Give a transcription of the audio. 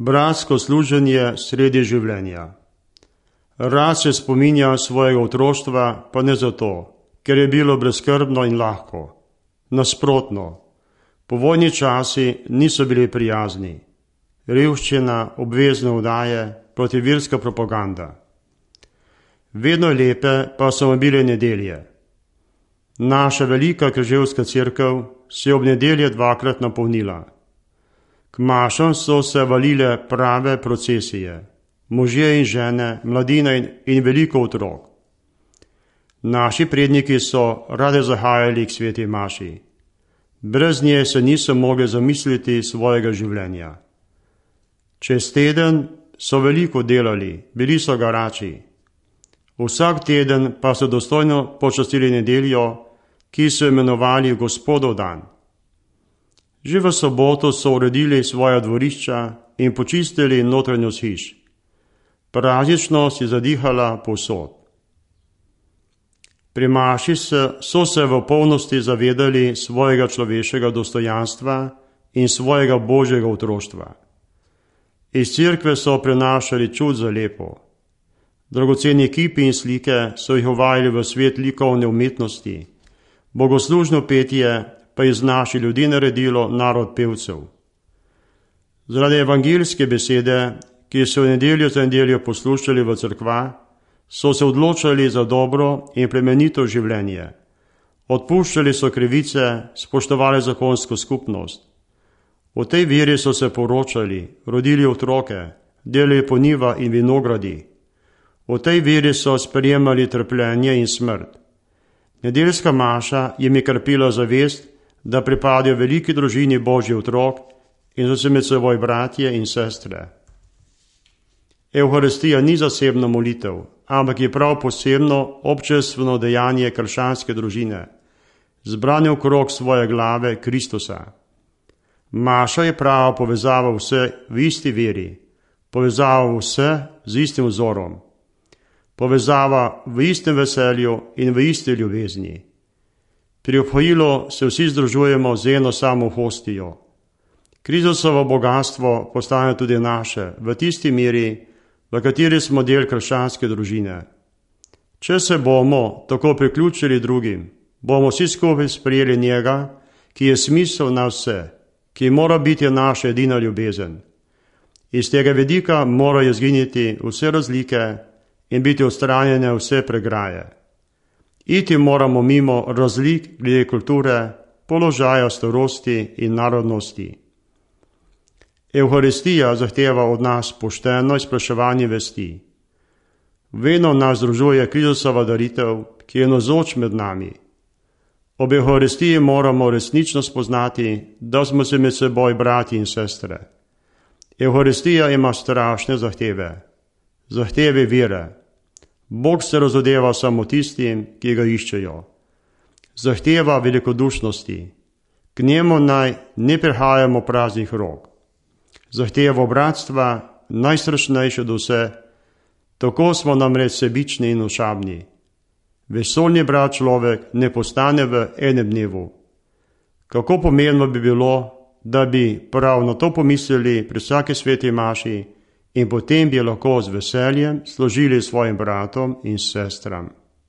bratsko služenje sredi življenja. Rad se spominja svojega otroštva, pa ne zato, ker je bilo brezskrbno in lahko. Nasprotno, povojni časi niso bili prijazni. Revščina, obvezne vdaje, protiverska propaganda. Vedno lepe pa so bile nedelje. Naša velika križevska cerkev se je ob nedelje dvakrat napolnila. K mašam so se valile prave procesije, možje in žene, mladina in veliko otrok. Naši predniki so rade zahajali k sveti maši. Brez nje se niso mogli zamisliti svojega življenja. Čez teden so veliko delali, bili so garači. Vsak teden pa so dostojno počastili nedeljo, ki so imenovali Gospodov dan. Že v soboto so uredili svoja dvorišča in počistili notranjost hiš. Prazničnost je zadihala povsod. Pri maši so se v polnosti zavedali svojega človeškega dostojanstva in svojega božjega otroštva. Iz cerkve so prenašali čud za lepo. Dragoceni kipi in slike so jih uvajali v svet likovne umetnosti. Bogoslužno petje pa je iz naših ljudi naredilo narod pevcev. Zaradi evangeljske besede, ki so v nedeljo za nedeljo poslušali v cerkva, so se odločali za dobro in plemenito življenje. Odpuščali so krivice, spoštovali zakonsko skupnost. V tej veri so se poročali, rodili otroke, delali po njiva in vinogradi. V tej veri so sprejemali trpljenje in smrt. Nedeljska maša jim je krepila zavest, da pripadajo veliki družini Božji otrok in so se med seboj bratje in sestre. Evharistija ni zasebna molitev, ampak je prav posebno občestveno dejanje krščanske družine, zbrane okrog svoje glave Kristusa. Maša je prava povezava vse v isti veri, povezava vse z istim vzorom, povezava v istem veselju in v isti ljubezni. Pri obhojilu se vsi združujemo z eno samo hostijo. Kristusovo bogatstvo postane tudi naše, v tisti meri, v kateri smo del krščanske družine. Če se bomo tako priključili drugim, bomo vsi skupaj sprejeli njega, ki je smisel na vse, ki mora biti naša edina ljubezen. Iz tega vidika morajo izginiti vse razlike in biti odstranjene vse pregraje. Iti moramo mimo razlik glede kulture, položaja, starosti in narodnosti. Evharistija zahteva od nas pošteno izpraševanje vesti. Vedno nas združuje Kristusova daritev, ki je navzoč med nami. Ob Evharistiji moramo resnično spoznati, da smo se med seboj brati in sestre. Evharistija ima strašne zahteve. Zahteve vere. Bog se razodeva samo tistim, ki ga iščejo. Zahteva velikodušnosti. K njemu naj ne prihajamo praznih rok. Zahteva bratstva, najstrašnejše do vse, tako smo namreč sebični in ošabni. Vesoljni brat človek ne postane v enem dnevu. Kako pomembno bi bilo, da bi prav na to pomislili pri vsaki sveti maši in potem bi lahko z veseljem služili svojim bratom in sestram.